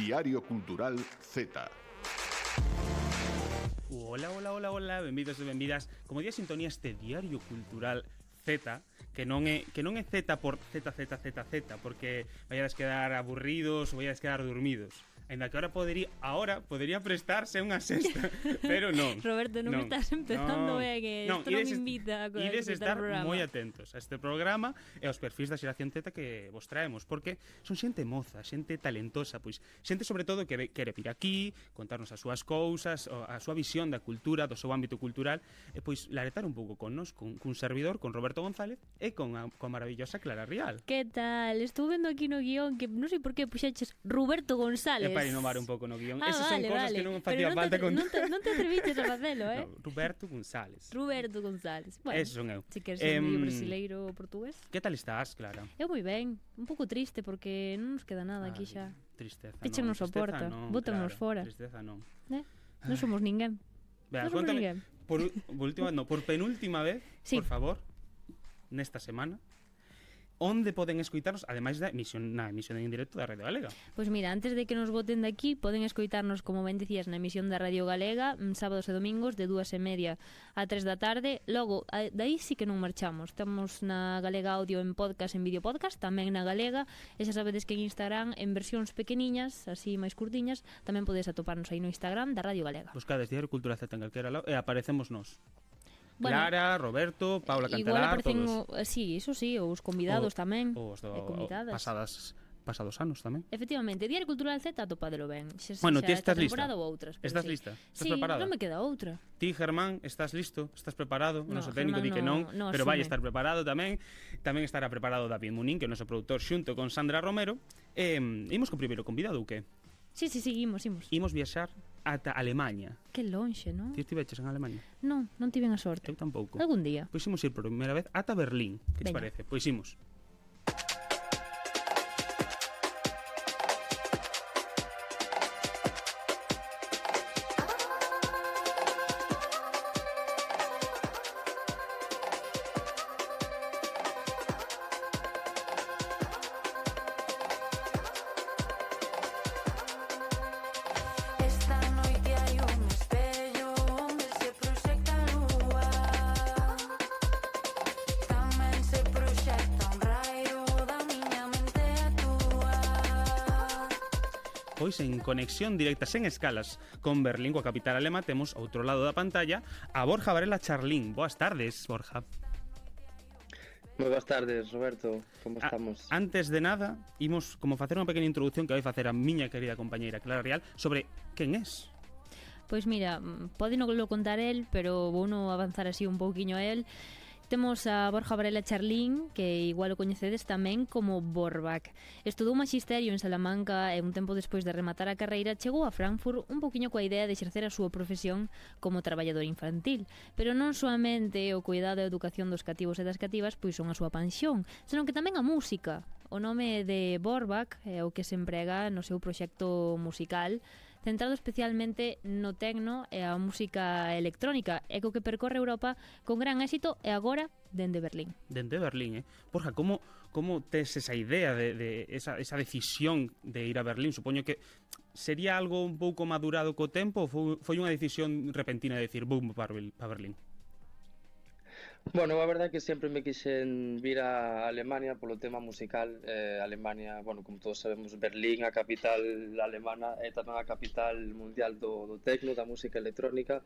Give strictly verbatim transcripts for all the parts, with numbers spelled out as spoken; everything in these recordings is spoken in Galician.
Diario Cultural Z. Hola, hola, hola, hola, benvidos e benvidas. Como día sintonía este Diario Cultural Z, que non é que non é Z por Z, Z, Z, Z, porque vayades quedar aburridos ou vayades quedar dormidos. Ainda que ahora podería, ahora podería prestarse unha sexta, pero non. Roberto, non, non me estás empezando non, ben, que non, isto non me invita a ides estar programa. moi atentos a este programa e aos perfis da xeración Z que vos traemos, porque son xente moza, xente talentosa, pois xente sobre todo que quere vir aquí, contarnos as súas cousas, a súa visión da cultura, do seu ámbito cultural, e pois laretar un pouco con nos, con, cun servidor, con Roberto González e con a, con a maravillosa Clara Rial. Que tal? Estou vendo aquí no guión que non sei por que puxaches Roberto González. É para inovar un pouco no guión. Ah, Esas vale, son cosas vale. que non facía non falta te, con... non, te, non te atreviches a facelo, eh? No, Roberto González. Roberto González. Bueno, eso son eu. Si queres ser Eh, medio brasileiro ou portugués. Que tal estás, Clara? Eu moi ben, un pouco triste porque non nos queda nada aquí xa. Tristeza, Piche non. non soporta, bótanos fora. Tristeza non. Eh? Non somos ninguén. Vea, non somos contame, ninguén. por, por última, no, por penúltima vez, Sí. por favor, nesta semana, onde poden escoitarnos, ademais da emisión, na emisión en directo da Radio Galega. Pois mira, antes de que nos boten de aquí, poden escoitarnos, como ben dicías, na emisión da Radio Galega, mm, sábados e domingos, de dúas e media a tres da tarde. Logo, a- daí sí que non marchamos. Estamos na Galega Audio en podcast, en vídeo podcast, tamén na Galega, e xa sabedes que en Instagram, en versións pequeniñas, así máis curtiñas, tamén podes atoparnos aí no Instagram da Radio Galega. Buscades Diario Cultura Z en calquera lado e aparecemos nós. Bueno, Clara, Roberto, Paula igual Cantelar, aparecen, todos. o, sí, iso sí, os convidados O- tamén, Os do, e convidadas. pasadas, pasados anos tamén. Efectivamente, Diario Cultural Z atopadelo ben. Xa, Bueno, xa ti estás esta lista. temporada ou outras. pero Estás sí. lista? Estás sí, preparada? non me queda outra. Ti, Germán, estás listo? Estás preparado? O No, noso técnico di Germán que no- non, no pero asume. vai estar preparado tamén. Tamén estará preparado David Munín, que é o noso produtor xunto con Sandra Romero. E imos con primeiro convidado ou que? Sí, sí, sí, imos, imos. Imos viaxar ata Alemanha. Que lonxe, non? Ti estiveches en Alemanha? Non, non tiven a sorte. Eu tampouco. Algún día. Pois imos ir por primeira vez ata Berlín. Que te Veña. parece? Pois imos. Esta noite hai un espello onde se proxecta a lúa. Tamén se proxecta un raio da miña mente a túa. Pois en conexión directa sen escalas con Berlín, coa capital alema, temos ao outro lado da pantalla a Borja Varela Charlín. Boas tardes, Borja. Moi boas tardes, Roberto. Como A- estamos? Antes de nada, imos como facer unha pequena introducción que vai facer a miña querida compañeira Clara Rial sobre quen es. Pois mira, mm, pode non lo contar el, pero vou no avanzar así un pouquiño a el. Temos a Borja Varela Charlín, que igual o coñecedes tamén como Borbak. Estudou magisterio en Salamanca e un tempo despois de rematar a carreira chegou a Frankfurt un poquinho coa idea de exercer a súa profesión como traballador infantil. Pero non soamente o cuidado e a educación dos cativos e das cativas pois son a súa pansión, senón que tamén a música. O nome de Borbak é o que se emprega no seu proxecto musical, centrado especialmente no tecno e a música electrónica, e co que percorre Europa con gran éxito e agora dende Berlín. Dende Berlín, eh? Borja, como, como tes esa idea de, de esa, esa decisión de ir a Berlín? Supoño que sería algo un pouco madurado co tempo ou foi, foi unha decisión repentina de decir boom para, Ber- para Berlín? Bueno, a verdade é que sempre me quixen vir a Alemania polo tema musical. eh, Alemania, bueno, como todos sabemos, Berlín, a capital alemana, é tamén a capital mundial do, do tecno, da música electrónica.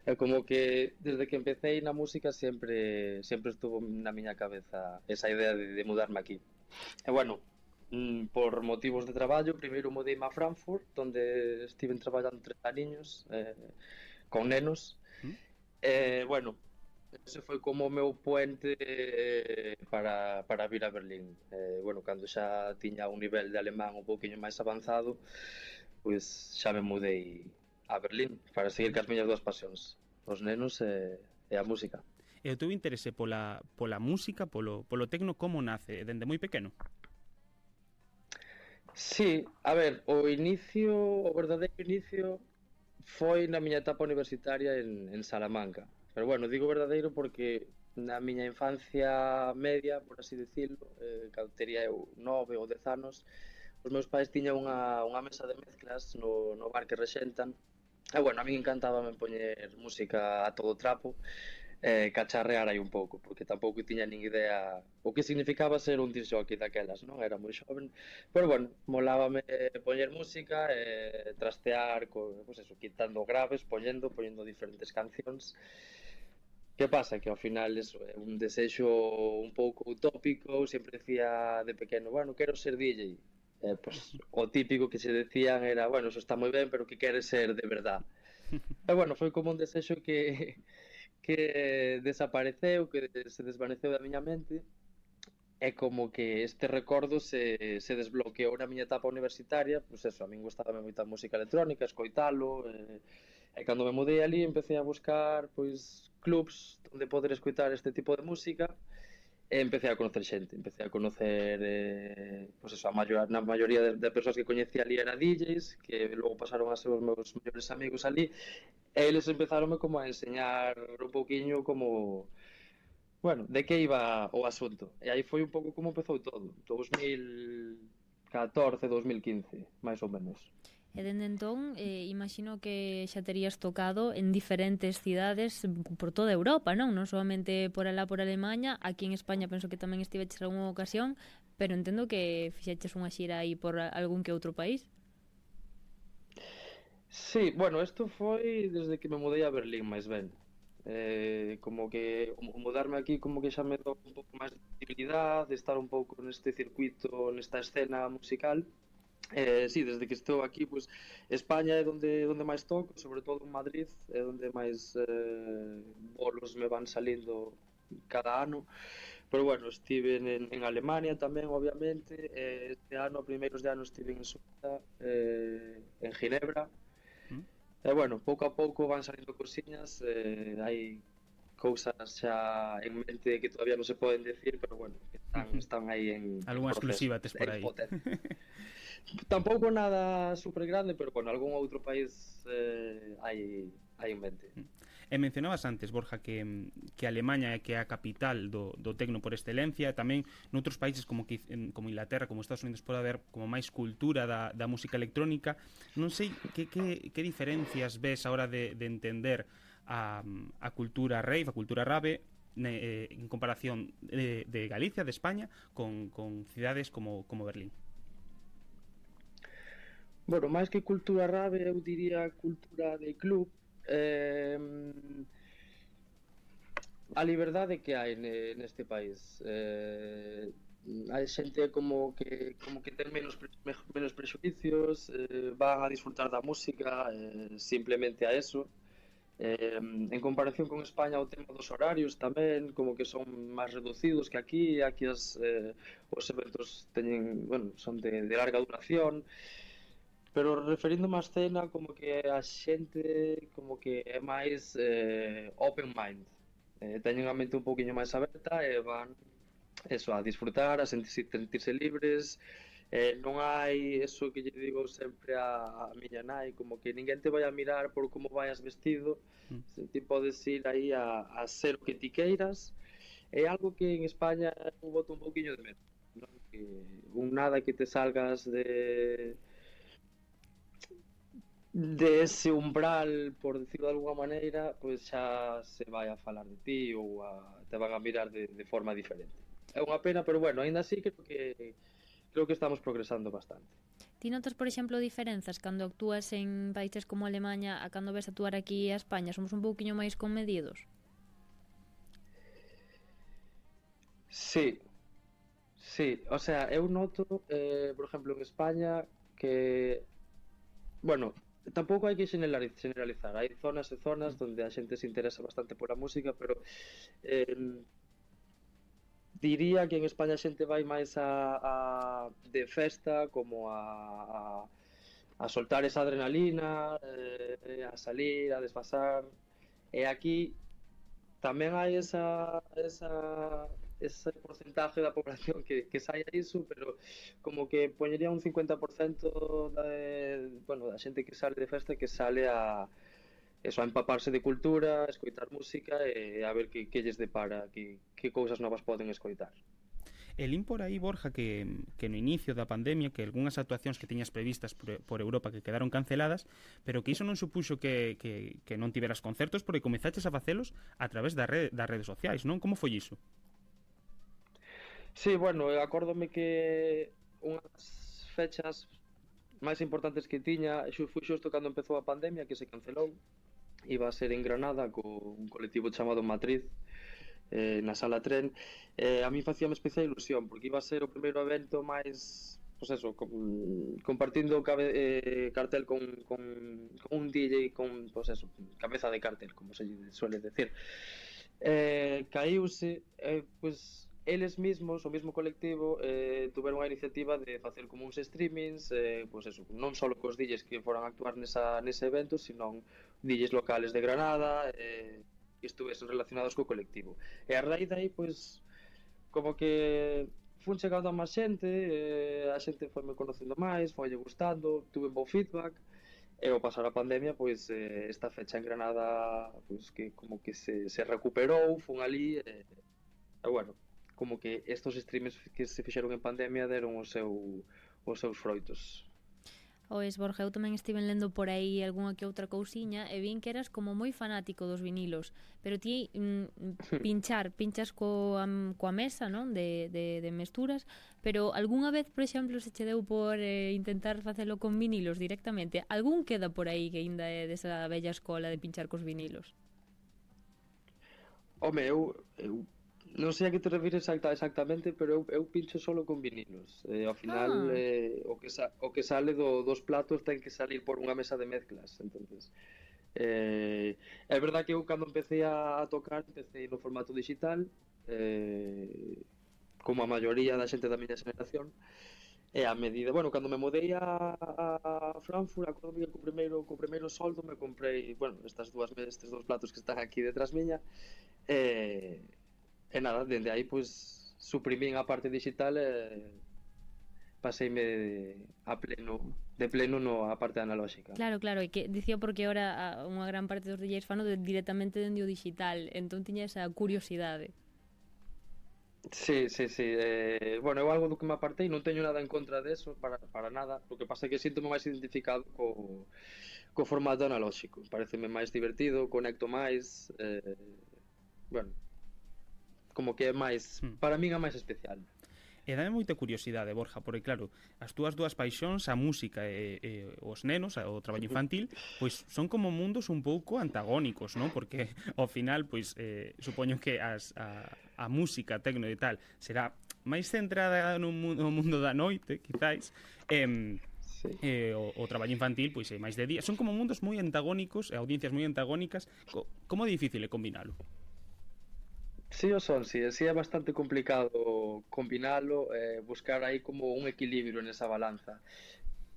É como que desde que empecé na música sempre sempre estuvo na miña cabeza esa idea de, de mudarme aquí. E bueno, mm, por motivos de traballo, primeiro mudeime a Frankfurt, onde estiven traballando tres aniños eh, con nenos. ¿Mm? Eh, bueno, ese foi como o meu puente eh, para, para vir a Berlín. Eh, bueno, cando xa tiña un nivel de alemán un pouquiño máis avanzado, pois xa me mudei a Berlín para seguir cas miñas dúas pasións, os nenos e, e a música. E o teu interese pola, pola música, polo, polo tecno, como nace? Dende moi pequeno? Sí, a ver, o inicio, o verdadeiro inicio foi na miña etapa universitaria en, en Salamanca. Pero bueno, digo verdadeiro porque na miña infancia media, por así decirlo, eh, cando tería eu nove ou dez anos, os meus pais tiñan unha, unha mesa de mezclas no, no bar que rexentan. E bueno, a min encantábame poñer música a todo trapo, eh, cacharrear aí un pouco, porque tampouco tiña nin idea o que significaba ser un disc jockey daquelas, non? Era moi xoven, pero bueno, molábame poñer música, eh, trastear, co, pues eso, quitando graves, poñendo, poñendo diferentes cancións. Que pasa? Que ao final eso é un desexo un pouco utópico, sempre decía de pequeno, bueno, quero ser D J. Eh, pues, o típico que se decían era, bueno, eso está moi ben, pero que queres ser de verdad. E bueno, foi como un desexo que que desapareceu, que se desvaneceu da miña mente, é como que este recordo se, se desbloqueou na miña etapa universitaria. Pois eso, a min gustaba moita música electrónica, escoitalo, e, e cando me mudei ali empecé a buscar pois clubs onde poder escoitar este tipo de música, e empecé a conocer xente, empecé a conocer eh, pois eso, a maior, na maioría de, de persoas que coñecía ali era D Js, que logo pasaron a ser os meus mellores amigos ali, e eles empezaronme como a enseñar un pouquiño como, bueno, de que iba o asunto. E aí foi un pouco como empezou todo, dos mil catorce, dos mil quince, máis ou menos. E dende entón, eh, imagino que xa terías tocado en diferentes cidades por toda Europa, non? Non solamente por alá por Alemanha, aquí en España penso que tamén estiveches algunha ocasión, pero entendo que fixeches unha xira aí por algún que outro país. Sí, bueno, isto foi desde que me mudei a Berlín, máis ben. Eh, como que o mudarme aquí como que xa me dou un pouco máis de visibilidade, de estar un pouco neste circuito, nesta escena musical. Eh, sí, desde que estou aquí, pues, España é onde, onde máis toco, sobre todo en Madrid, é onde máis eh, bolos me van salindo cada ano. Pero bueno, estive en, en Alemania tamén, obviamente. Eh, este ano, a primeiros de ano, estive en Suiza, eh, en Ginebra. Mm. E bueno, pouco a pouco van salindo cosiñas, eh, hai cousas xa en mente que todavía non se poden decir, pero bueno, están, están aí en algunha exclusiva tes por aí. Tampouco nada super grande, pero bueno, algún outro país eh, hai, hai en mente. E mencionabas antes, Borja, que, que Alemanha é que é a capital do, do tecno por excelencia. Tamén noutros países como, que, como Inglaterra, como Estados Unidos, pode haber como máis cultura da, da música electrónica. Non sei que, que, que diferencias ves a hora de, de entender a, a cultura rave, a cultura rave, ne, eh, en comparación de, de Galicia, de España, con, con cidades como, como Berlín. Bueno, máis que cultura rave, eu diría cultura de club. Eh, a liberdade que hai neste país. Eh, hai xente como que como que ten menos pre, menos prexuicios, eh, van a disfrutar da música, eh, simplemente a eso. Eh, en comparación con España, o tema dos horarios tamén como que son máis reducidos que aquí. Aquí as, eh, os eventos teñen, bueno, son de, de larga duración. Pero referindo máis cena, como que a xente como que é máis eh, open mind, eh, teñen a mente un pouquiño máis aberta e van eso, a disfrutar, a sentirse, sentirse libres. Eh, non hai eso que lle digo sempre a, a miña nai, como que ninguén te vai a mirar por como vayas vestido. Mm. Ti podes ir aí a, a ser o que ti queiras. É algo que en España eu boto un pouquiño de medo, non? Que un nada que te salgas de de ese umbral, por decirlo de alguna maneira, pois xa se vai a falar de ti ou a, te van a mirar de, de forma diferente. É unha pena, pero bueno, aínda así creo que creo que estamos progresando bastante. Ti notas, por exemplo, diferenzas cando actúas en países como Alemanha a cando ves actuar aquí a España? Somos un pouquiño máis conmedidos? Sí, sí, o sea, eu noto, eh, por exemplo, en España que, bueno, tampouco hai que generalizar, hai zonas e zonas onde a xente se interesa bastante pola música, pero eh, diría que en España a xente vai máis a, a de festa, como a, a, a soltar esa adrenalina, eh, a salir, a desfasar, e aquí tamén hai esa, esa ese porcentaje da población que, que sai a iso, pero como que poñería un cincuenta por cento da, bueno, da xente que sale de festa que sale a eso, a empaparse de cultura, a escoitar música e a ver que, que lles depara, que, que cousas novas poden escoitar. E lín por aí, Borja, que, que no inicio da pandemia que algunhas actuacións que tiñas previstas por, por Europa que quedaron canceladas, pero que iso non supuxo que, que, que non tiveras concertos porque comezaches a facelos a través da rede, das redes sociais, non? Como foi iso? Sí, bueno, eu acórdome que unhas fechas máis importantes que tiña xu- foi xusto cando empezou a pandemia, que se cancelou. Iba a ser en Granada co un colectivo chamado Matriz, eh, na Sala Tren. Eh, a mí facía especial ilusión porque iba a ser o primeiro evento máis, pois eso, con, compartindo cabe, eh, cartel con, con, con un D J con, pois eso, cabeza de cartel, como se lle suele decir. Eh, caíuse, eh, pois eles mesmos, o mesmo colectivo, eh, tuveron a iniciativa de facer como uns streamings, eh, pois eso, non só cos D Js que foran a actuar nesa, nese evento, sino D Js locales de Granada, eh, que estuvesen relacionados co colectivo. E a raíz dai, pois, como que fun chegando a máis xente, eh, a xente foi me conocendo máis, foi gustando, tuve bo feedback, e ao pasar a pandemia, pois, eh, esta fecha en Granada, pois, que como que se, se recuperou, fun ali, e, e bueno, como que estos streams que se fixeron en pandemia deron o seu, os seus froitos. Ois, Borja, eu tamén estiven lendo por aí algunha que outra cousiña e vin que eras como moi fanático dos vinilos, pero ti mm, pinchar, pinchas coa, coa mesa, non? De, de, de mesturas, pero algunha vez, por exemplo, se che deu por eh, intentar facelo con vinilos directamente? Algún queda por aí que ainda é desa bella escola de pinchar cos vinilos? Home, eu, eu non sei a que te refires exacta, exactamente, pero eu, eu pincho solo con vinilos. Eh, ao final, Ah. eh, o, que sa, o que sale do, dos platos ten que salir por unha mesa de mezclas. Entonces, eh, é verdad que eu cando empecé a, a tocar, empecé no formato digital, eh, como a maioría da xente da miña xeración, e a medida, bueno, cando me mudei a, a Frankfurt, acordo que co primeiro, co primeiro soldo me comprei, bueno, estas dúas estes dous platos que están aquí detrás miña, e, e nada, dende aí, pois, suprimín a parte digital e paseime a pleno, de pleno no a parte analóxica. Claro, claro, e que dicía porque ahora a, unha gran parte dos D Js fano de, directamente dende o digital, entón tiña esa curiosidade. Sí, sí, sí. Eh, bueno, eu algo do que me apartei, non teño nada en contra deso, para, para nada. O que pasa é que sinto-me máis identificado co, co formato analóxico. Pareceme máis divertido, conecto máis, eh, bueno, como que é máis, Hmm. para min é máis especial. E dame moita curiosidade, Borja, porque claro, as túas dúas paixóns, a música e, e os nenos, o traballo infantil, pois son como mundos un pouco antagónicos, non? Porque ao final, pois, eh, supoño que as, a, a música, tecno e tal, será máis centrada no mundo, no mundo da noite, quizáis, e, Sí. e o, o traballo infantil, pois, é máis de día. Son como mundos moi antagónicos, e audiencias moi antagónicas. Co, como é difícil é combinalo? Sí o son, sí, sí é bastante complicado combinalo, eh, buscar aí como un equilibrio nesa balanza.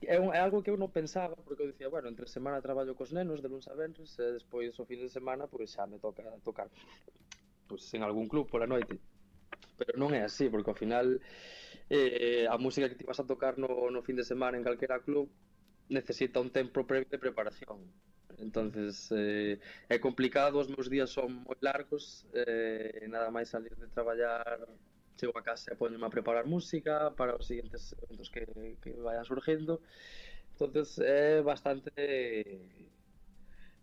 É, un, é algo que eu non pensaba, porque eu dicía, bueno, entre semana traballo cos nenos de luns a venres, e despois o fin de semana, pois xa me toca tocar pois, en algún club pola noite. Pero non é así, porque ao final eh, a música que ti vas a tocar no, no fin de semana en calquera club necesita un tempo previo de preparación. Entonces, eh, é complicado, os meus días son moi largos, eh, nada máis salir de traballar, chego a casa e poñome a preparar música para os seguintes eventos que, que vayan surgindo. Entonces, é bastante,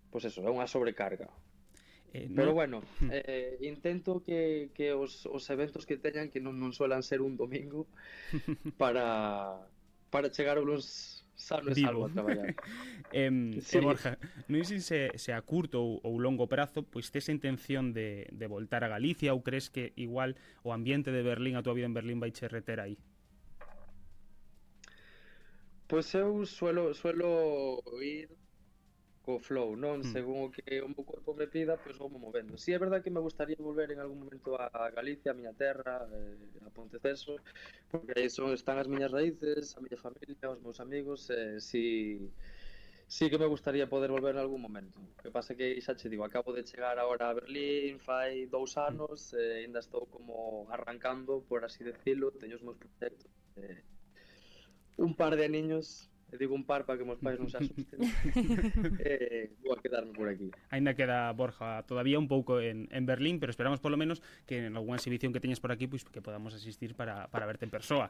pois eso, é unha sobrecarga. Eh, Pero non- bueno, eh, intento que, que os, os eventos que teñan que non, non suelan ser un domingo para, para chegar uns sano e salvo Vivo. a traballar. Em, Sí. E Borja, non sei se, se a curto ou, ou longo prazo, pois tes a intención de, de voltar a Galicia ou crees que igual o ambiente de Berlín, a tua vida en Berlín vai che reter aí? Pois eu suelo, suelo ir co flow, non? Hmm. Según o que o meu corpo me pida, pois vou movendo. Si é verdad que me gustaría volver en algún momento a Galicia, a miña terra, eh, a Ponteceso, porque aí son, están as miñas raíces, a miña familia, os meus amigos, eh, si, si que me gustaría poder volver en algún momento. O que pasa que, xa che digo, acabo de chegar agora a Berlín, fai dous anos, eh, ainda estou como arrancando, por así decirlo, teño os meus proxectos, eh, un par de aniños E digo un par para que meus pais non se asusten. eh, vou a quedarme por aquí. Ainda queda Borja todavía un pouco en, en Berlín, pero esperamos polo menos que en algunha exhibición que teñas por aquí pois que podamos asistir para, para verte en persoa.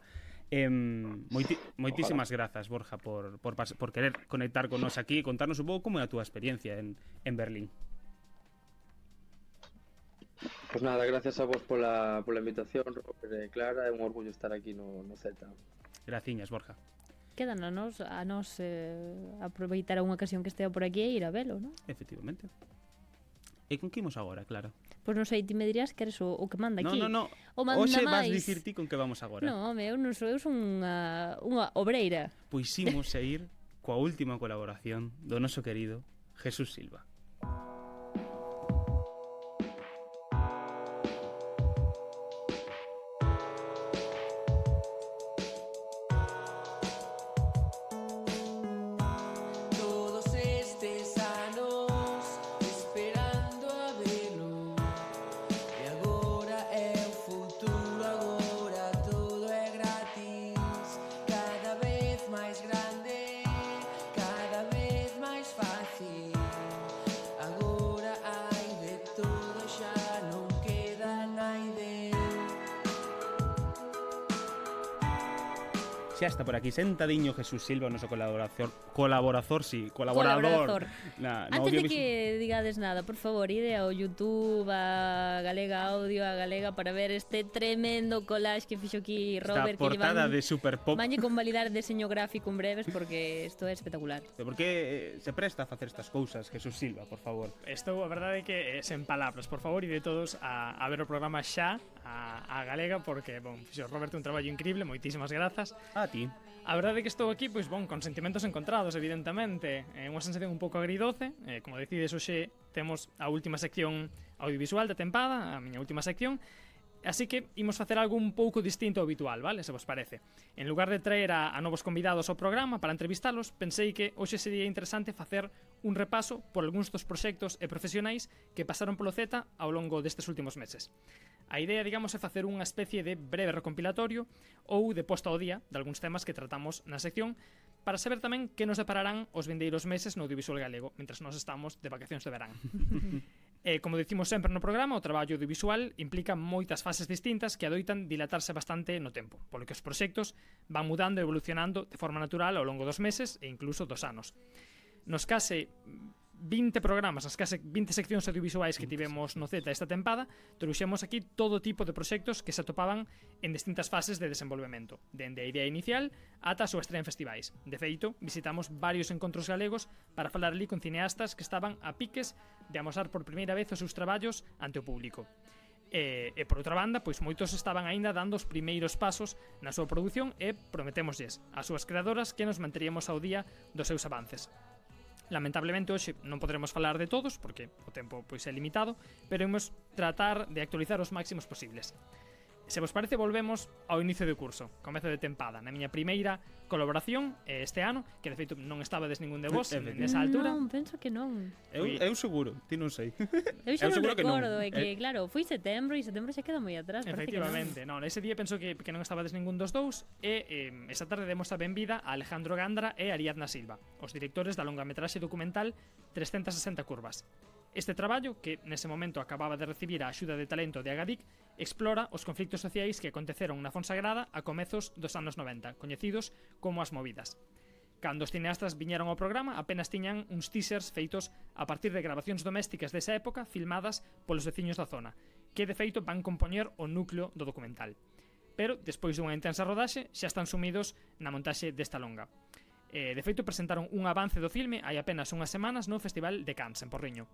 Eh, moiti, moitísimas grazas, Borja, por, por, por querer conectar con nos aquí e contarnos un pouco como é a túa experiencia en, en Berlín. Pois nada, gracias a vos pola, pola invitación, Robert e Clara, é un orgullo estar aquí no, no Z. Graciñas, Borja. Quedan a nos, a nos eh, aproveitar unha ocasión que estea por aquí e ir a velo, non? Efectivamente. E con que imos agora, claro? Pois non sei, ti me dirías que eres o, o que manda No, aquí. no, no. O manda Hoxe vas máis. dicir ti con que vamos agora. No, home, eu non sou, eu son unha, unha obreira. Pois imos a ir coa última colaboración do noso querido Jesús Silva. Todos estes anos esperando a velo e agora é o futuro, agora todo é gratis, cada vez máis grande, cada vez máis fácil, agora hai de todo, xa non queda naide. Xa está por aquí sentadiño Jesús Silva, o noso colaborador, colaborador, sí, colaborador. Colaborador. Na, no Antes de audiovisual. que digades nada, por favor, ide ao YouTube, a Galega Audio, a Galega, para ver este tremendo collage que fixo aquí Esta Robert, que portada llevan... de Super Pop. Mañe con validar deseño gráfico en breves, porque isto é espectacular. Por que eh, se presta a facer estas cousas, Jesús Silva, por favor? Estou, a verdade é que é sen palabras, por favor, e de todos a, a ver o programa xa a, a Galega, porque, bon, fixo Roberto un traballo increíble, moitísimas grazas. A ti. A verdade é que estou aquí, pois, bon, con sentimentos encontrados, evidentemente. É unha sensación un pouco agridoce. Eh, como decides, hoxe temos a última sección audiovisual da tempada, a miña última sección. Así que imos facer algo un pouco distinto ao habitual, vale? Se vos parece. En lugar de traer a, a novos convidados ao programa para entrevistalos, pensei que hoxe sería interesante facer un repaso por algúns dos proxectos e profesionais que pasaron polo Z ao longo destes últimos meses. A idea, digamos, é facer unha especie de breve recompilatorio ou de posta ao día de algúns temas que tratamos na sección para saber tamén que nos depararán os vindeiros meses no audiovisual galego mentras nós estamos de vacacións de verán. E, como dicimos sempre no programa, o traballo audiovisual implica moitas fases distintas que adoitan dilatarse bastante no tempo, polo que os proxectos van mudando e evolucionando de forma natural ao longo dos meses e incluso dos anos. Nos case vinte programas, as case vinte seccións audiovisuais que tivemos no Z esta tempada, trouxemos aquí todo tipo de proxectos que se atopaban en distintas fases de desenvolvemento, dende a idea inicial ata a súa estrea en festivais. De feito, visitamos varios encontros galegos para falar ali con cineastas que estaban a piques de amosar por primeira vez os seus traballos ante o público. E, e por outra banda, pois moitos estaban aínda dando os primeiros pasos na súa produción e prometémoslles ás súas creadoras que nos manteríamos ao día dos seus avances. Lamentablemente hoxe non podremos falar de todos porque o tempo pois é limitado, pero imos tratar de actualizar os máximos posibles. Se vos parece, volvemos ao inicio do curso, comezo de tempada, na miña primeira colaboración este ano, que de feito non estabades ningún de vos nesa altura. Non, penso que non. Eu, eu seguro, ti non sei. Eu xa Eu non seguro que non. recordo, é Eh, que, claro, foi setembro e setembro xa queda moi atrás. parece que non. Efectivamente, non, ese día penso que, que non estabades ningún dos dous e eh, esa tarde demos a benvida a Alejandro Gandra e Ariadna Silva, os directores da longametraxe documental trescentas sesenta curvas. Este traballo, que nese momento acababa de recibir a axuda de talento de Agadic, explora os conflictos sociais que aconteceron na Fonsagrada a comezos dos anos noventa, coñecidos como as movidas. Cando os cineastas viñeron ao programa, apenas tiñan uns teasers feitos a partir de grabacións domésticas desa época filmadas polos veciños da zona, que de feito van compoñer o núcleo do documental. Pero, despois dunha intensa rodaxe, xa están sumidos na montaxe desta longa. Eh, de feito, presentaron un avance do filme hai apenas unhas semanas no Festival de Cannes, en Porriño.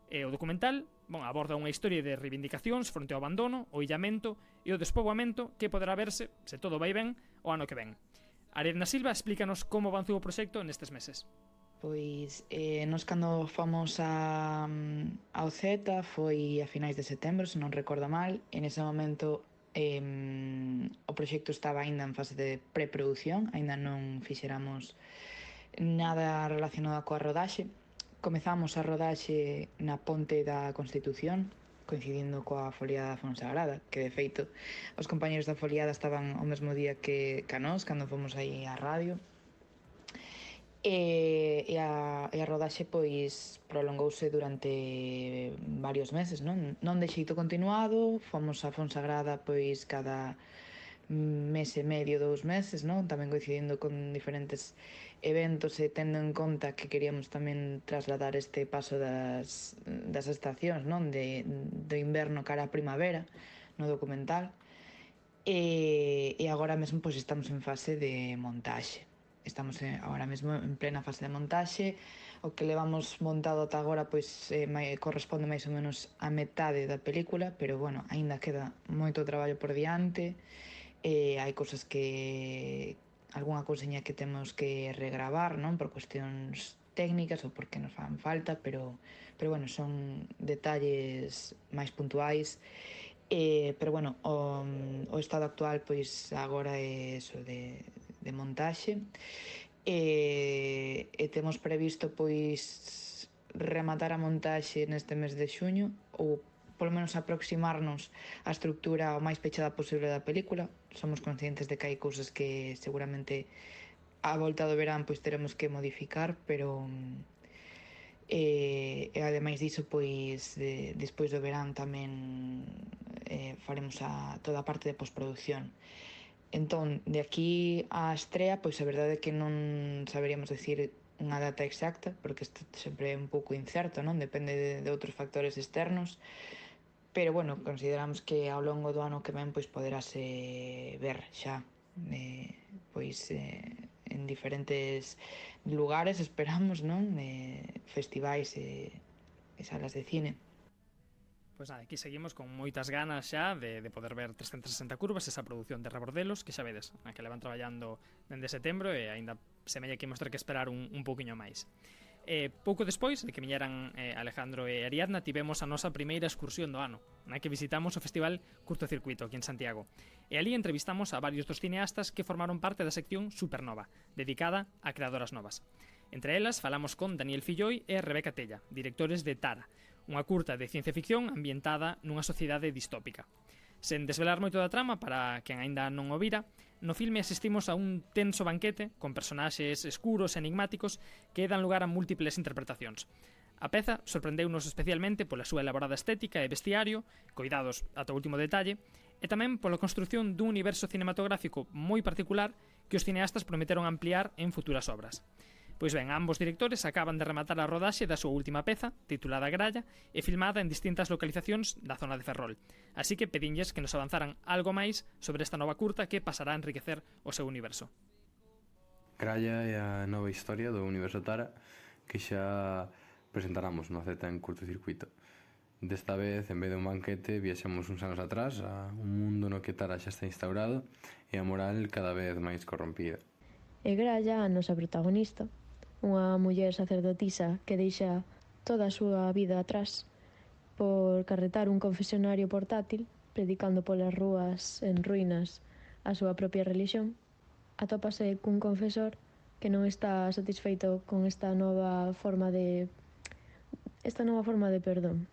E o documental, bon, aborda unha historia de reivindicacións fronte ao abandono, o illamento e o despoboamento que poderá verse, se todo vai ben, o ano que ven. Ariadna Silva explícanos como avanzou o proxecto nestes meses. Pois, eh, nos cando fomos a, ao Z foi a finais de setembro, se non recordo mal. En ese momento eh, o proxecto estaba aínda en fase de preproducción, aínda non fixéramos nada relacionado coa rodaxe. Comezamos a rodaxe na Ponte da Constitución, coincidindo coa foliada da Fonsagrada, que de feito os compañeros da foliada estaban o mesmo día que, que a nós, cando fomos aí á radio. E, e, a, e a rodaxe pois prolongouse durante varios meses, non? Non de xeito continuado, fomos a Fonsagrada pois cada mes e medio, dous meses, non? Tamén coincidindo con diferentes eventos e tendo en conta que queríamos tamén trasladar este paso das, das estacións, non? De, do inverno cara á primavera no documental. E, e agora mesmo pois estamos en fase de montaxe. Estamos eh, agora mesmo en plena fase de montaxe. O que levamos montado ata agora pois eh, mai, corresponde máis ou menos a metade da película, pero bueno, aínda queda moito traballo por diante. Eh, hai cousas que algunha cousiña que temos que regravar, non, por cuestións técnicas ou porque nos fan falta, pero pero bueno, son detalles máis puntuais. Eh, pero bueno, o, o estado actual pois agora é eso de de montaxe e, e temos previsto pois rematar a montaxe neste mes de xuño ou polo menos aproximarnos á estructura o máis pechada posible da película. Somos conscientes de que hai cousas que seguramente á volta do verán pois teremos que modificar, pero e, e ademais diso pois de, despois do verán tamén eh, faremos a, toda a parte de postproducción. Entón, de aquí á estrea, pois a verdade é que non saberíamos decir unha data exacta, porque isto sempre é un pouco incerto, non? Depende de, de outros factores externos, pero, bueno, consideramos que ao longo do ano que ven, pois poderase ver xa, eh, pois, eh, en diferentes lugares, esperamos, non? Eh, festivais e, e salas de cine. Pois nada, aquí seguimos con moitas ganas xa de, de poder ver trescentas sesenta curvas, esa produción de Rebordelos, que xa vedes, a que levan traballando dende setembro e aínda semella que imos ter que esperar un, un pouquiño máis. Eh, pouco despois de que viñeran eh, Alejandro e Ariadna, tivemos a nosa primeira excursión do ano, na que visitamos o Festival Curtocircuito aquí en Santiago. E ali entrevistamos a varios dos cineastas que formaron parte da sección Supernova, dedicada a creadoras novas. Entre elas falamos con Daniel Filloi e Rebeca Tella, directores de Tara, unha curta de ciencia ficción ambientada nunha sociedade distópica. Sen desvelar moito da trama para quen aínda non o vira, no filme asistimos a un tenso banquete con personaxes escuros e enigmáticos que dan lugar a múltiples interpretacións. A peza sorprendeunos especialmente pola súa elaborada estética e vestiario, coidados ata o último detalle, e tamén pola construción dun universo cinematográfico moi particular que os cineastas prometeron ampliar en futuras obras. Pois ben, ambos directores acaban de rematar a rodaxe da súa última peza, titulada Gralla, e filmada en distintas localizacións da zona de Ferrol. Así que pedinlles que nos avanzaran algo máis sobre esta nova curta que pasará a enriquecer o seu universo. Gralla é a nova historia do universo Tara que xa presentaramos no Z en Curtocircuito. Desta vez, en vez de un banquete, viaxamos uns anos atrás a un mundo no que Tara xa está instaurado e a moral cada vez máis corrompida. E Gralla, a nosa protagonista, unha muller sacerdotisa que deixa toda a súa vida atrás por carretar un confesionario portátil, predicando polas rúas en ruínas a súa propia religión, atópase cun confesor que non está satisfeito con esta nova forma de esta nova forma de perdón.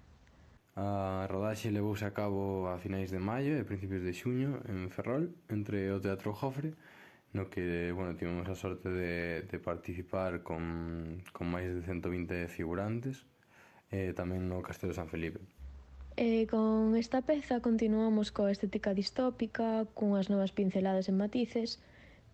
A rodaxe levouse a cabo a finais de maio e principios de xuño en Ferrol, entre o Teatro Jofre, no que, bueno, tivemos a sorte de, de participar con, con máis de ciento vinte figurantes e tamén no Castelo San Felipe. E con esta peza continuamos coa estética distópica, cunhas novas pinceladas en matices,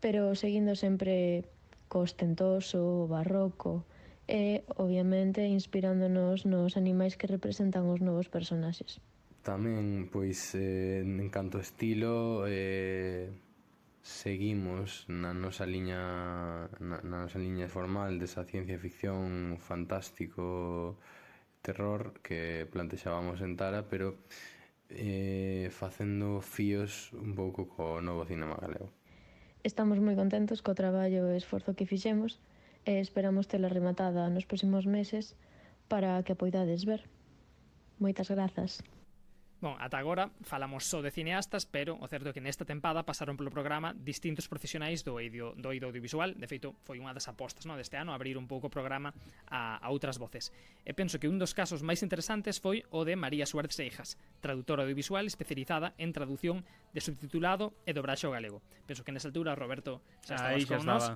pero seguindo sempre co ostentoso, barroco e, obviamente, inspirándonos nos animais que representan os novos personaxes. Tamén, pois, eh, en canto a estilo, eh, seguimos na nosa liña na, na nosa liña formal desa ciencia ficción fantástico terror que plantexábamos en Tara, pero eh, facendo fíos un pouco co novo cinema galego. Estamos moi contentos co traballo e esforzo que fixemos e esperamos tela rematada nos próximos meses para que a poidades ver. Moitas grazas. Bon, ata agora falamos só de cineastas, pero o certo é que nesta tempada pasaron polo programa distintos profesionais do eido, do eido audiovisual. De feito, foi unha das apostas, no, deste ano, abrir un pouco o programa a, a outras voces. E penso que un dos casos máis interesantes foi o de María Suárez Seijas, traductora audiovisual especializada en traducción de subtitulado e dobraxe ao galego. Penso que nesa altura, Roberto, xa estabas con nós.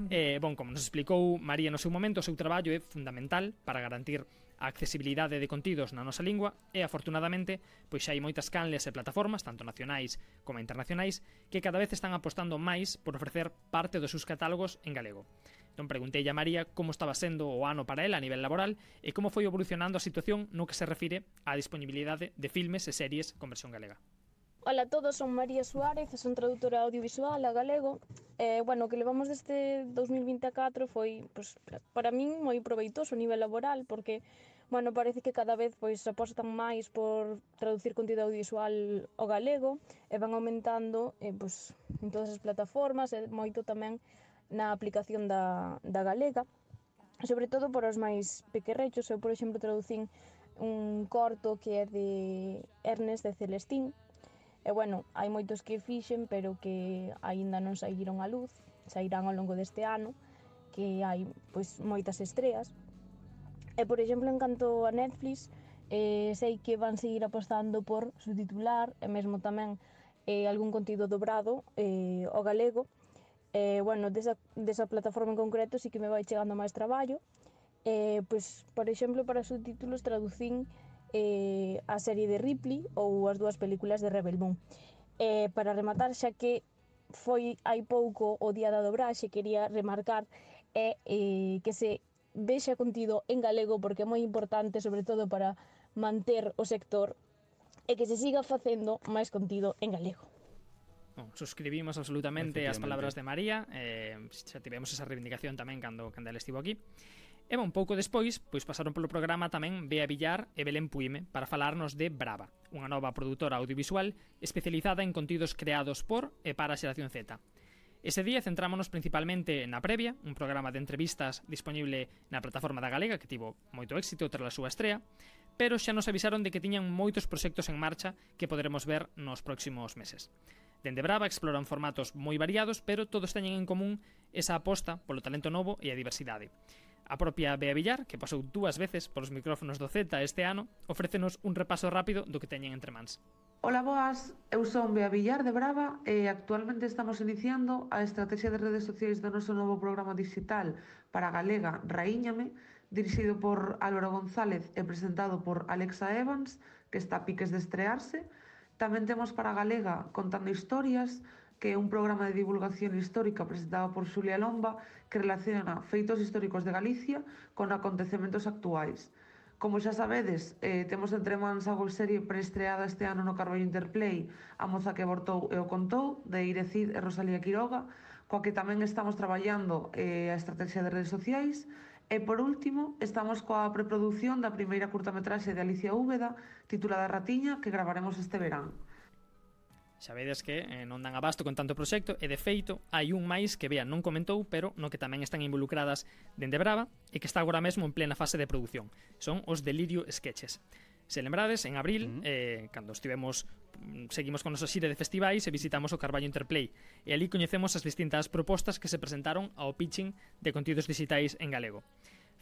Eh, bon, como nos explicou María no seu momento, o seu traballo é fundamental para garantir a accesibilidade de contidos na nosa lingua e, afortunadamente, pois xa hai moitas canles e plataformas, tanto nacionais como internacionais, que cada vez están apostando máis por ofrecer parte dos seus catálogos en galego. Entón preguntei a María como estaba sendo o ano para ela a nivel laboral e como foi evolucionando a situación no que se refire á disponibilidade de filmes e series con versión galega. Ola a todos, son María Suárez, son traductora audiovisual a galego. Eh, bueno, o que levamos deste dos mil vinte e catro foi, pues, para min, moi proveitoso a nivel laboral, porque, bueno, parece que cada vez pois apostan máis por traducir contido audiovisual ao galego e van aumentando eh, pues, en todas as plataformas e moito tamén na aplicación da, da galega, sobre todo por os máis pequerrechos. Eu, por exemplo, traducín un corto que é de Ernest de Celestín. E, bueno, hai moitos que fixen, pero que aínda non saíron á luz, sairán ao longo deste ano, que hai, pois, moitas estreas. E, por exemplo, en canto a Netflix, eh, sei que van seguir apostando por subtitular, e mesmo tamén eh, algún contido dobrado eh, ao galego. E, bueno, desa, desa plataforma en concreto sí que me vai chegando máis traballo. Eh, pois, por exemplo, para subtítulos traducín Eh, a serie de Ripley ou as dúas películas de Rebel Moon. Eh, para rematar, xa que foi hai pouco o día da dobraxe, quería remarcar é, eh, que se vexa contido en galego, porque é moi importante, sobre todo para manter o sector, e que se siga facendo máis contido en galego. Bon, suscribimos absolutamente as palabras de María, eh, xa tivemos esa reivindicación tamén cando, cando ela estivo aquí. E un pouco despois, pois pasaron polo programa tamén Bea Villar e Belén Puime para falarnos de Brava, unha nova produtora audiovisual especializada en contidos creados por e para a xeración Z. Ese día centrámonos principalmente na Previa, un programa de entrevistas disponible na plataforma da Galega que tivo moito éxito tras a súa estrea, pero xa nos avisaron de que tiñan moitos proxectos en marcha que poderemos ver nos próximos meses. Dende Brava exploran formatos moi variados, pero todos teñen en común esa aposta polo talento novo e a diversidade. A propia Bea Villar, que pasou dúas veces polos micrófonos do Z este ano, ofrécenos un repaso rápido do que teñen entre mans. Ola, boas, eu son Bea Villar de Brava e actualmente estamos iniciando a estrategia de redes sociais do noso novo programa digital para Galega Raíñame, dirixido por Álvaro González e presentado por Alexa Evans, que está a piques de estrearse. Tamén temos para Galega Contando Historias, que é un programa de divulgación histórica presentado por Xulia Lomba que relaciona feitos históricos de Galicia con acontecementos actuais. Como xa sabedes, eh, temos entre mans a golserie preestreada este ano no Carballo Interplay A moza que abortou e o contou, de Ire Cid e Rosalía Quiroga, coa que tamén estamos traballando eh, a estrategia de redes sociais. E, por último, estamos coa preproducción da primeira curtametraxe de Alicia Úbeda, titulada Ratiña, que gravaremos este verán. Xa vedes que eh, non dan abasto con tanto proxecto e, de feito, hai un máis que Bea non comentou, pero no que tamén están involucradas dende Brava e que está agora mesmo en plena fase de produción. Son os Delirio Sketches. Se lembrades, en abril, uh -huh. eh, cando estivemos seguimos con nosa xira de festivais e visitamos o Carballo Interplay e ali coñecemos as distintas propostas que se presentaron ao pitching de contidos digitais en galego.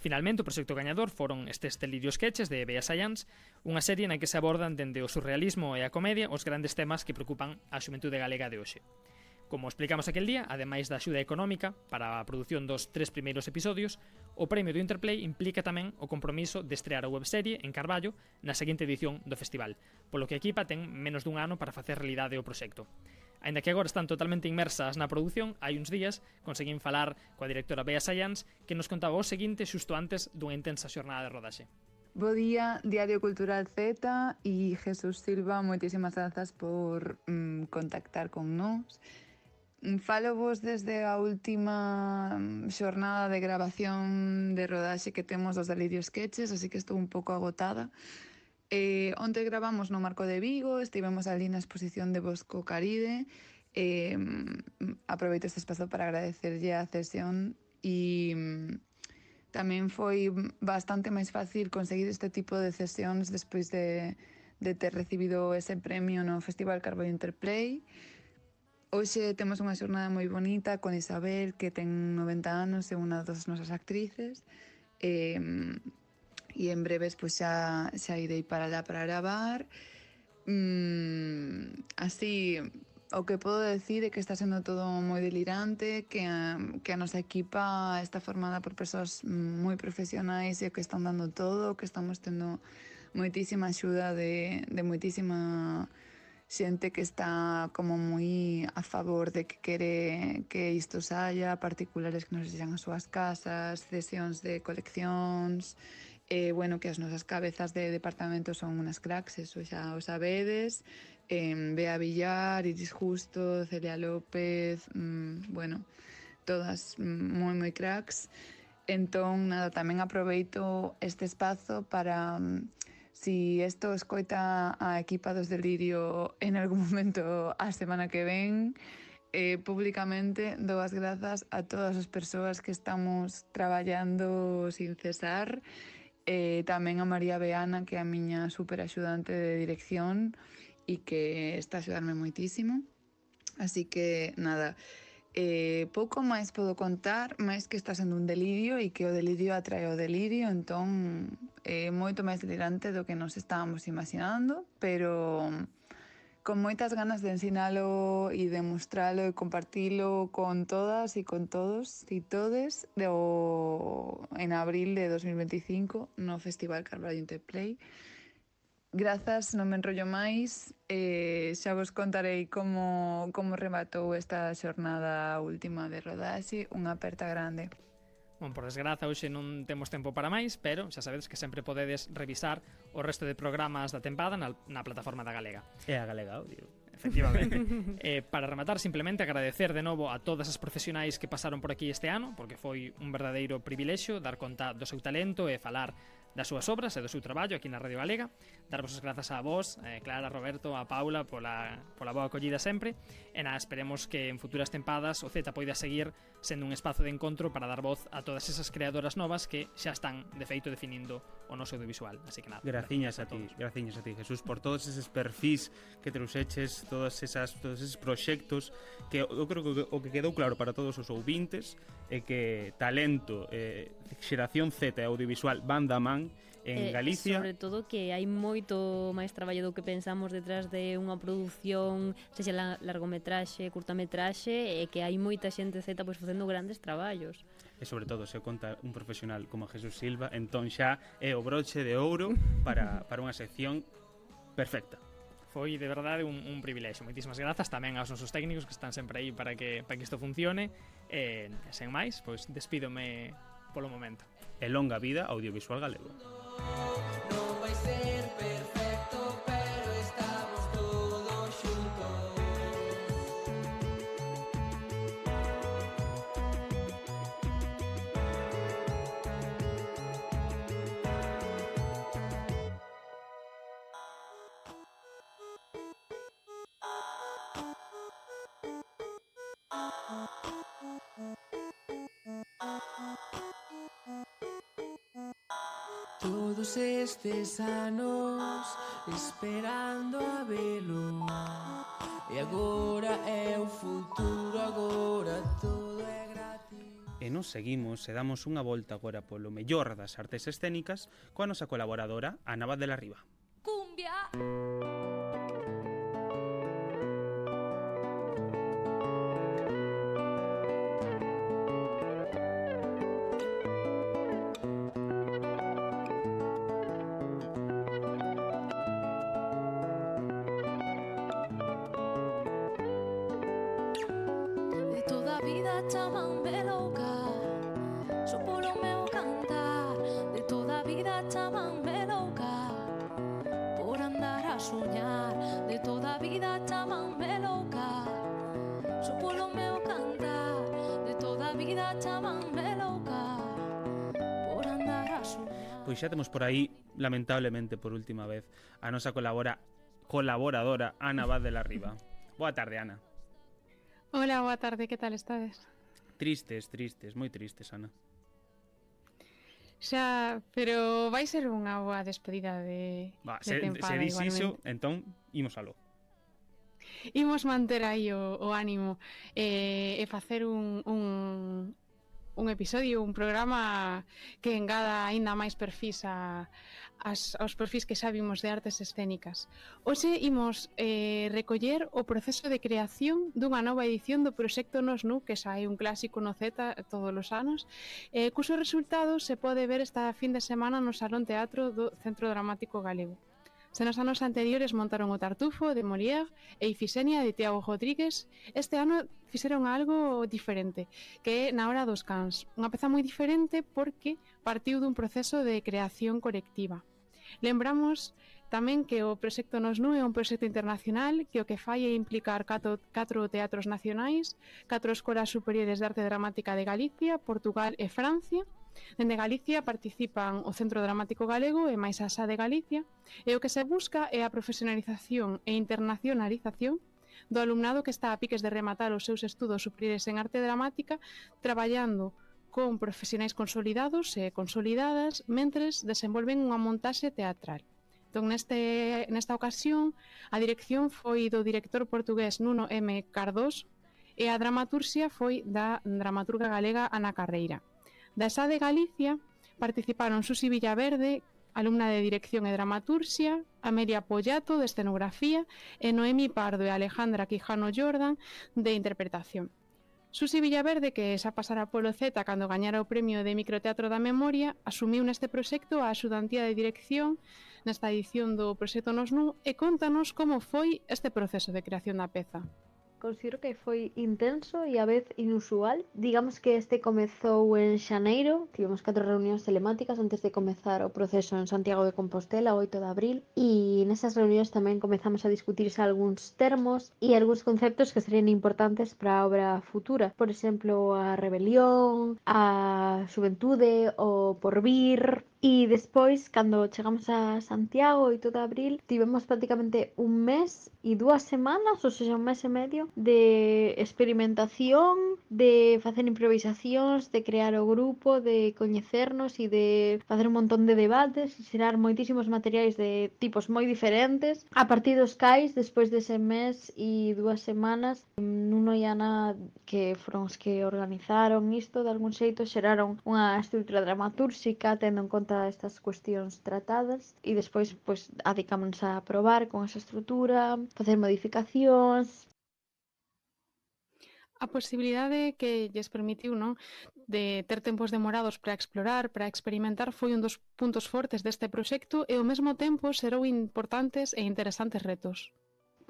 Finalmente, o proxecto gañador foron estes Delirio Sketches de Bea Sayans, unha serie na que se abordan dende o surrealismo e a comedia os grandes temas que preocupan a xuventude galega de hoxe. Como explicamos aquel día, ademais da axuda económica para a produción dos tres primeiros episodios, o premio do Interplay implica tamén o compromiso de estrear a webserie en Carballo na seguinte edición do festival, polo que a equipa ten menos dun ano para facer realidade o proxecto. Aínda que agora están totalmente inmersas na produción, hai uns días conseguín falar coa directora Bea Sayans que nos contaba o seguinte xusto antes dunha intensa xornada de rodaxe. Bo día, Diario Cultural Z e Jesús Silva, moitísimas grazas por mm, contactar con nós. Falo vos desde a última xornada de grabación de rodaxe que temos dos Delirio Sketches, así que estou un pouco agotada. Eh, onte gravamos no Marco de Vigo, estivemos ali na exposición de Bosco Caride. Eh, aproveito este espazo para agradecerlle a cesión e tamén foi bastante máis fácil conseguir este tipo de cesións despois de, de ter recibido ese premio no Festival Carballo Interplay. Hoxe temos unha xornada moi bonita con Isabel, que ten noventa anos, é unha das nosas actrices, e, e en breves pois, xa, xa irei para lá para gravar. Mm, así, o que podo decir é que está sendo todo moi delirante, que a, que a nosa equipa está formada por persoas moi profesionais e que están dando todo, que estamos tendo moitísima axuda de, de moitísima xente que está como moi a favor de que quere que isto saia, particulares que nos deixan as súas casas, cesións de coleccións, e, bueno, que as nosas cabezas de departamento son unas cracks, eso xa o sabedes, eh, Bea Villar, Iris Justo, Celia López, mmm, bueno, todas moi moi cracks. Entón, nada, tamén aproveito este espazo para... Si isto escoita a equipa dos Delirio en algún momento a semana que ven, eh, públicamente dou as grazas a todas as persoas que estamos traballando sin cesar, eh, tamén a María Beana, que é a miña super axudante de dirección e que está a axudarme moitísimo. Así que, nada, eh, pouco máis podo contar, máis que está sendo un delirio e que o delirio atrae o delirio, entón é moito máis delirante do que nos estábamos imaginando, pero con moitas ganas de ensinalo e de mostralo e compartilo con todas e con todos e todes do, en abril de dos mil veinticinco no Festival Carballo Interplay. Grazas, non me enrollo máis, eh, xa vos contarei como, como rematou esta xornada última de rodaxe, unha aperta grande. Bon, por desgraza, hoxe non temos tempo para máis, pero xa sabedes que sempre podedes revisar o resto de programas da tempada na, na plataforma da Galega. É a Galega Audio. Efectivamente. eh, para rematar, simplemente agradecer de novo a todas as profesionais que pasaron por aquí este ano, porque foi un verdadeiro privilexio dar conta do seu talento e falar das súas obras e do seu traballo aquí na Radio Galega. Darvos as grazas a vos, eh, Clara, Roberto, a Paula pola, pola boa acollida sempre, e nada, esperemos que en futuras tempadas o Z poida seguir sendo un espazo de encontro para dar voz a todas esas creadoras novas que xa están de feito definindo o noso audiovisual. Así que nada, graciñas a, a ti, graciñas a ti, Jesús, por todos eses perfis que trouxeches, todas esas todos eses proxectos que eu creo que o que quedou claro para todos os ouvintes é que talento, eh, xeración Z e audiovisual van da man en eh, Galicia. Sobre todo que hai moito máis traballo do que pensamos detrás de unha produción, sexa la, largometraxe, curtametraxe, e que hai moita xente Z pois facendo grandes traballos. E sobre todo, se conta un profesional como Jesús Silva, entón xa é o broche de ouro para, para unha sección perfecta. Foi de verdade un, un privilexio. Moitísimas grazas tamén aos nosos técnicos que están sempre aí para que, para que isto funcione. E, sen máis, pois despídome polo momento. E longa vida audiovisual galego. Non vai ser perfecto, pero estamos todos xuntos. Todos estes anos esperando a velo, e agora é o futuro, agora todo é gratis. E nos seguimos e damos unha volta agora polo mellor das artes escénicas coa nosa colaboradora Ana Abad de la Riva. Cumbia. Chamanme louca, só polo meu cantar. De toda a vida chamanme louca, por andar a soñar. De toda a vida chamanme louca, só polo meu cantar. De toda a vida chamanme louca, por andar a soñar. Pois xa temos por aí, lamentablemente por última vez, a nosa colabora, colaboradora Ana Abad de la Riva. Boa tarde, Ana. Hola, boa tarde, que tal estades? Tristes, tristes, moi tristes, Ana. Xa, pero vai ser unha boa despedida de, Va, de se, tempada se dis iso, igualmente. entón, imos aló. Imos manter aí o, o ánimo eh, e facer un, un, un episodio, un programa que engada aínda máis perfis a, as, aos perfis que xa vimos de artes escénicas. Hoxe imos eh, recoller o proceso de creación dunha nova edición do proxecto Nos Nu, que xa é un clásico no Z todos os anos, eh, cuso resultado se pode ver esta fin de semana no Salón Teatro do Centro Dramático Galego. Se nos anos anteriores montaron o Tartufo de Molière e Ifisenia de Tiago Rodríguez, este ano fixeron algo diferente, que é Na Hora dos Cans. Unha peza moi diferente porque partiu dun proceso de creación colectiva. Lembramos tamén que o proxecto Nos Nu é un proxecto internacional que o que fai é implicar catro, catro teatros nacionais, catro escolas superiores de arte dramática de Galicia, Portugal e Francia. Dende Galicia participan o Centro Dramático Galego e máis a S A de Galicia, e o que se busca é a profesionalización e internacionalización do alumnado que está a piques de rematar os seus estudos superiores en arte dramática, traballando con profesionais consolidados e consolidadas mentres desenvolven unha montaxe teatral. Entón, neste, nesta ocasión, a dirección foi do director portugués Nuno M. Cardoso e a dramaturxia foi da dramaturga galega Ana Carreira. Da S A de Galicia participaron Susi Villaverde, alumna de Dirección e Dramaturxia, Amelia Pollato, de Escenografía, e Noemi Pardo e Alejandra Quijano Jordan, de Interpretación. Susi Villaverde, que xa pasara polo Z cando gañara o premio de Microteatro da Memoria, asumiu neste proxecto a axudantía de dirección nesta edición do proxecto Nos Nu e contanos como foi este proceso de creación da peza. Considero que foi intenso e a vez inusual. Digamos que este comezou en xaneiro, tivemos catro reunións telemáticas antes de comezar o proceso en Santiago de Compostela, o oito de abril, e nesas reunións tamén comezamos a discutirse algúns termos e algúns conceptos que serían importantes para a obra futura. Por exemplo, a rebelión, a xuventude, o porvir. E despois, cando chegamos a Santiago, oito de abril, tivemos prácticamente un mes e dúas semanas, ou seja, un mes e medio, de experimentación, de facer improvisacións, de crear o grupo, de coñecernos e de facer un montón de debates e xerar moitísimos materiais de tipos moi diferentes. A partir dos cais, despois dese mes e dúas semanas, Nuno e Ana, que foron os que organizaron isto, de algún xeito xeraron unha estrutura dramatúrxica tendo en conta estas cuestións tratadas e despois pois adicámonos a probar con esa estrutura, facer modificacións. A posibilidade que lles permitiu, non, de ter tempos demorados para explorar, para experimentar, foi un dos puntos fortes deste proxecto e ao mesmo tempo xerou importantes e interesantes retos.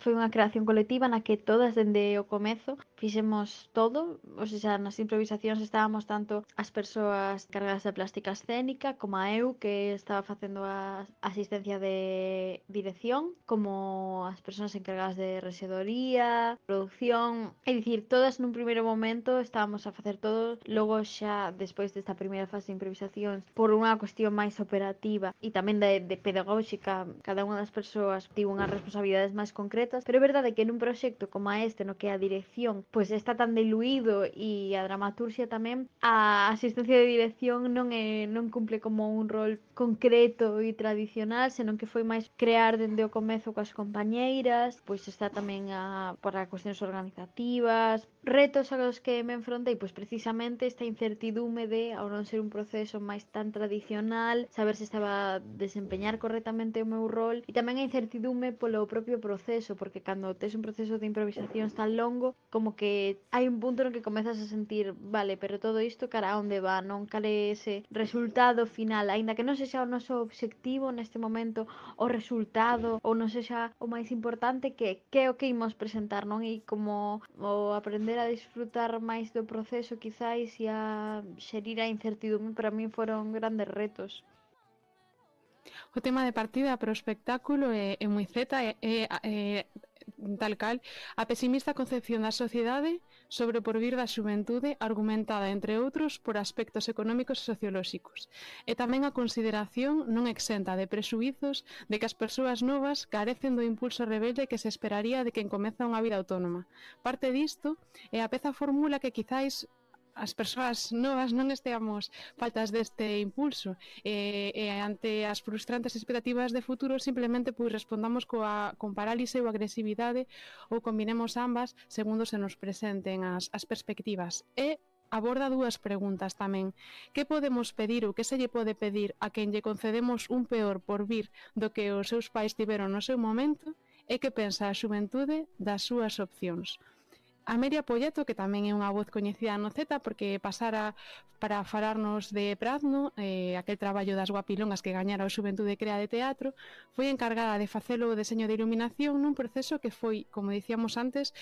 Foi unha creación colectiva na que todas dende o comezo fixemos todo, ou seja, nas improvisacións estábamos tanto as persoas cargadas de plástica escénica como a eu, que estaba facendo a asistencia de dirección, como as persoas encargadas de rexedoría, producción, é dicir, todas nun primeiro momento estábamos a facer todo, logo xa despois desta primeira fase de improvisacións, por unha cuestión máis operativa e tamén de, de pedagóxica, cada unha das persoas tivo unhas responsabilidades máis concretas. Pero é verdade que nun proxecto como este, no que a dirección pois está tan diluído e a dramaturxia tamén, a asistencia de dirección non é non cumple como un rol concreto e tradicional, senón que foi máis crear dende o comezo coas compañeiras, pois está tamén a para cuestións organizativas, retos aos que me enfrontei, pois precisamente esta incertidume de, ao non ser un proceso máis tan tradicional, saber se estaba a desempeñar correctamente o meu rol, e tamén a incertidume polo propio proceso, porque cando tes un proceso de improvisación tan longo, como que hai un punto no que comezas a sentir, vale, pero todo isto cara a onde va, non? Cal é ese resultado final, aínda que non sexa o noso obxectivo neste momento, o resultado, ou non sexa o máis importante, que que é o que imos presentar, non? E como o aprender a disfrutar máis do proceso, quizáis, e a xerir a incertidume, para min foron grandes retos. O tema de partida para o espectáculo é, é moi zeta, é, é, é tal cal a pesimista concepción da sociedade sobre o porvir da xuventude, argumentada, entre outros, por aspectos económicos e sociolóxicos, e tamén a consideración non exenta de presuizos de que as persoas novas carecen do impulso rebelde que se esperaría de quen comeza unha vida autónoma. Parte disto é a peza fórmula que quizáis as persoas novas non esteamos faltas deste impulso e, e ante as frustrantes expectativas de futuro simplemente pois respondamos coa, con parálise ou agresividade ou combinemos ambas segundo se nos presenten as, as perspectivas. E aborda dúas preguntas tamén. Que podemos pedir ou que se lle pode pedir a quen lle concedemos un peor por vir do que os seus pais tiveron no seu momento e que pensa a xuventude das súas opcións? A Meria Polleto, que tamén é unha voz coñecida no Z porque pasara para falarnos de Prazno, eh, aquel traballo das guapilongas que gañara o Xuventude Crea de Teatro, foi encargada de facelo o deseño de iluminación nun proceso que foi, como dicíamos antes,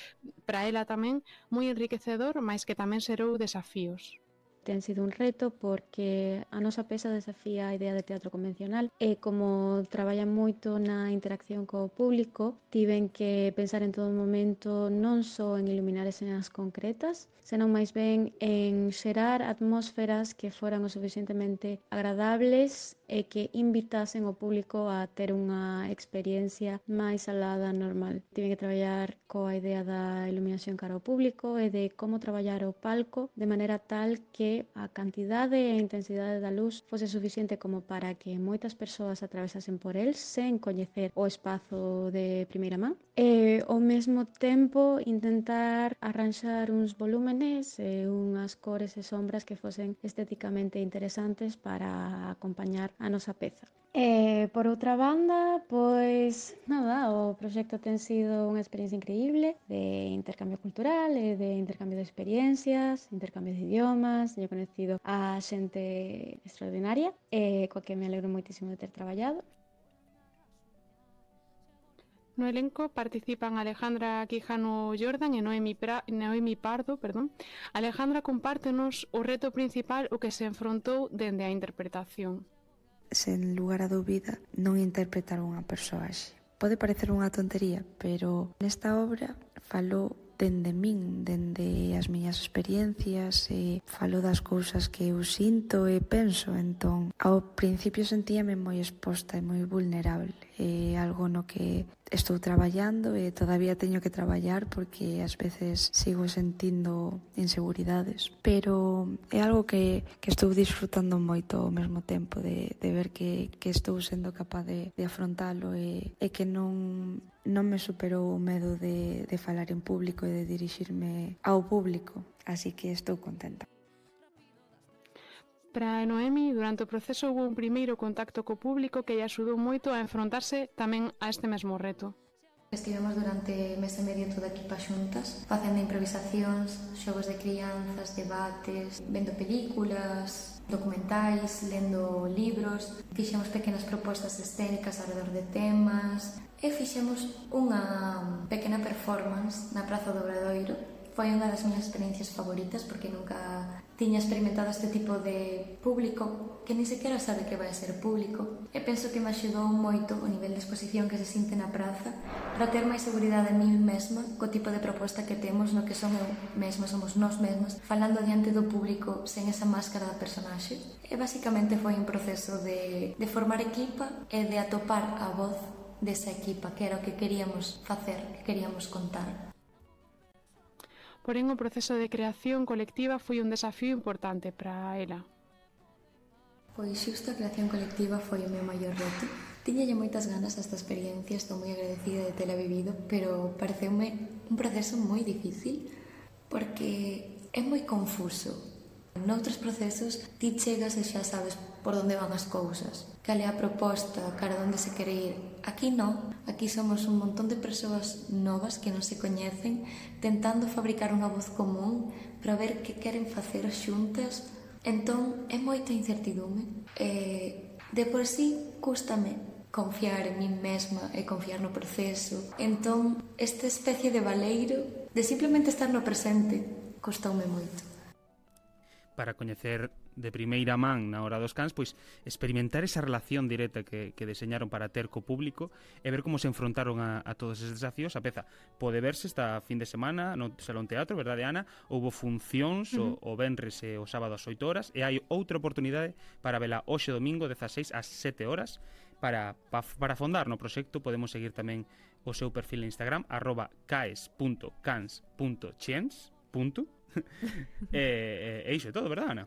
para ela tamén moi enriquecedor, mais que tamén xerou desafíos. Ten sido un reto porque a nosa peza desafía a idea de teatro convencional e como traballa moito na interacción co público, tiven que pensar en todo momento non só en iluminar escenas concretas, senón máis ben en xerar atmósferas que foran o suficientemente agradables e que invitasen o público a ter unha experiencia máis alá da normal. Tiven que traballar coa idea da iluminación cara ao público e de como traballar o palco de maneira tal que a cantidade e a intensidade da luz fose suficiente como para que moitas persoas atravesasen por el sen coñecer o espazo de primeira man e ao mesmo tempo intentar arranxar uns volúmenes e unhas cores e sombras que fosen estéticamente interesantes para acompañar a nosa peza. E, por outra banda, pois, nada, o proxecto ten sido unha experiencia increíble de intercambio cultural e de intercambio de experiencias, intercambio de idiomas. Teño conocido a xente extraordinaria e coa que me alegro moitísimo de ter traballado. No elenco participan Alejandra Quijano Jordan e Noemi, pra... Noemi Pardo. Perdón. Alejandra compártenos o reto principal o que se enfrontou dende a interpretación. Sen lugar a dúbida, non interpretar unha persoaxe. Pode parecer unha tontería, pero nesta obra falo dende min, dende as miñas experiencias e falo das cousas que eu sinto e penso. Entón, ao principio sentíame moi exposta e moi vulnerable. É algo no que estou traballando e todavía teño que traballar porque ás veces sigo sentindo inseguridades, pero é algo que, que estou disfrutando moito ao mesmo tempo de, de ver que, que estou sendo capaz de, de afrontalo e, e que non, non me superou o medo de, de falar en público e de dirixirme ao público, así que estou contenta. Para Noemi, durante o proceso houve un primeiro contacto co público que lle axudou moito a enfrontarse tamén a este mesmo reto. Estivemos durante mes e medio toda a equipa xuntas, facendo improvisacións, xogos de crianzas, debates, vendo películas, documentais, lendo libros, fixemos pequenas propostas escénicas alrededor de temas e fixemos unha pequena performance na Praza do Obradoiro. Foi unha das miñas experiencias favoritas porque nunca tiña experimentado este tipo de público que ni sequera sabe que vai a ser público e penso que me axudou moito o nivel de exposición que se sinte na praza para ter máis seguridade en mí mesma co tipo de proposta que temos no que son eu mesma, somos nós mesmas falando diante do público sen esa máscara da personaxe e basicamente foi un proceso de, de formar equipa e de atopar a voz desa equipa que era o que queríamos facer, que queríamos contar. Porén, o proceso de creación colectiva foi un desafío importante para ela. Pois xusto a creación colectiva foi o meu maior reto. Tiñalle moitas ganas a esta experiencia, estou moi agradecida de tela vivido, pero pareceume un proceso moi difícil porque é moi confuso. Noutros procesos ti chegas e xa sabes por onde van as cousas, cal é a proposta, cara onde se quere ir. Aquí non, aquí somos un montón de persoas novas que non se coñecen tentando fabricar unha voz común para ver que queren facer xuntas. Entón é moita incertidume e de por sí cústame confiar en min mesma e confiar no proceso. Entón esta especie de baleiro de simplemente estar no presente custoume moito. Para coñecer de primeira man na hora dos cans, pois experimentar esa relación directa que, que deseñaron para ter co público e ver como se enfrontaron a, a todos eses desafíos. A peza pode verse esta fin de semana no Salón Teatro, verdade, Ana? Houbo funcións uh-huh. o, o venres e o sábado ás oito horas e hai outra oportunidade para vela hoxe domingo dezaseis ás sete horas. Para, pa, para afondar no proxecto podemos seguir tamén o seu perfil en Instagram arroba caes punto cans punto chiens punto. E eh, iso é todo, verdad, Ana?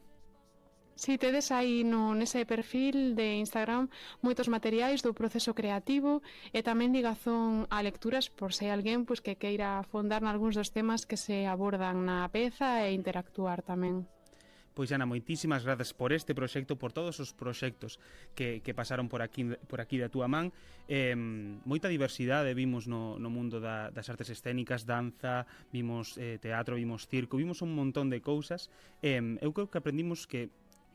Si, tedes aí no, nese perfil de Instagram moitos materiais do proceso creativo e tamén ligazón a lecturas por se hai alguén pois, que queira afondar nalgúns dos temas que se abordan na peza e interactuar tamén. Pois Ana, moitísimas grazas por este proxecto, por todos os proxectos que, que pasaron por aquí, por aquí da túa man. Eh, moita diversidade vimos no, no mundo da, das artes escénicas, danza, vimos eh, teatro, vimos circo, vimos un montón de cousas. Eh, eu creo que aprendimos que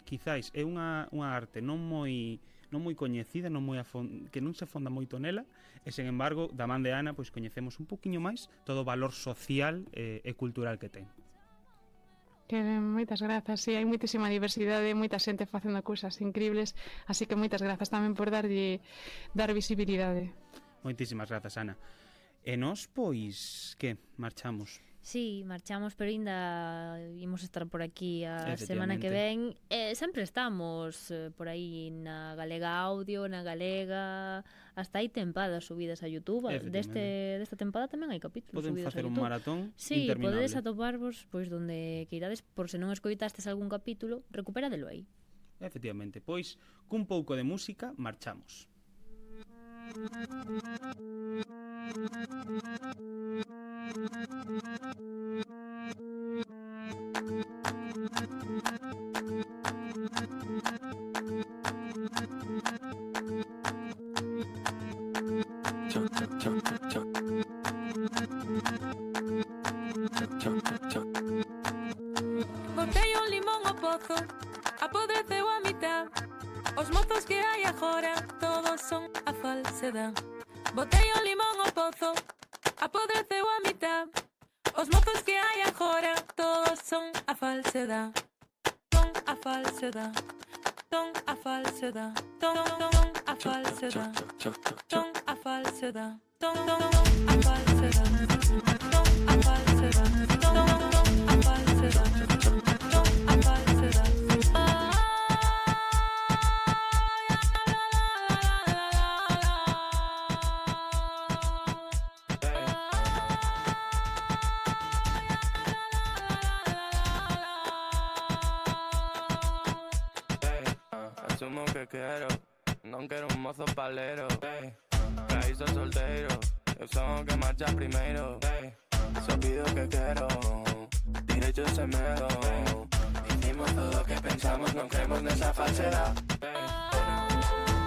quizáis é unha, unha arte non moi non moi coñecida, non moi afond, que non se afonda moito nela, e sen embargo, da man de Ana, pois coñecemos un poquinho máis todo o valor social eh, e cultural que ten. Que moitas grazas, si, sí, hai moitísima diversidade, moita xente facendo cousas increíbles, así que moitas grazas tamén por darlle dar visibilidade. Moitísimas grazas, Ana. E nós, pois, que, marchamos? Sí, marchamos, pero ainda imos estar por aquí a semana que ven. Eh, sempre estamos eh, por aí na Galega Audio, na Galega, hasta hai tempadas subidas a YouTube. Deste desta tempada tamén hai capítulos Poden subidos a YouTube. Poden facer un maratón sí, interminable. Podedes atoparvos pois donde queirades, por se non escoitastes algún capítulo, recuperadelo aí. Efectivamente, pois, cun pouco de música, marchamos. Botei un limón ao pozo, apodreceu a mitad. Os mozos que hai agora todos son a falsedad. Botei un limón ao pozo, apodreceu a mitad. Os mozos que hai agora todos son a falsedad. Son a falsedad. Son a falsedad. Son a falsedad. Son a falsedad. Son a falsedad. Son a falsedad. Son a falsedad. Son a falsedad. Asumo que quiero, non quero un mozo palero. Hey, caízo solteiro, eu son o que marcha primeiro. Hey, só pido que quero, derecho sem medo. Hicimos todo o que pensamos, non creemos nesa falsedad. Hey,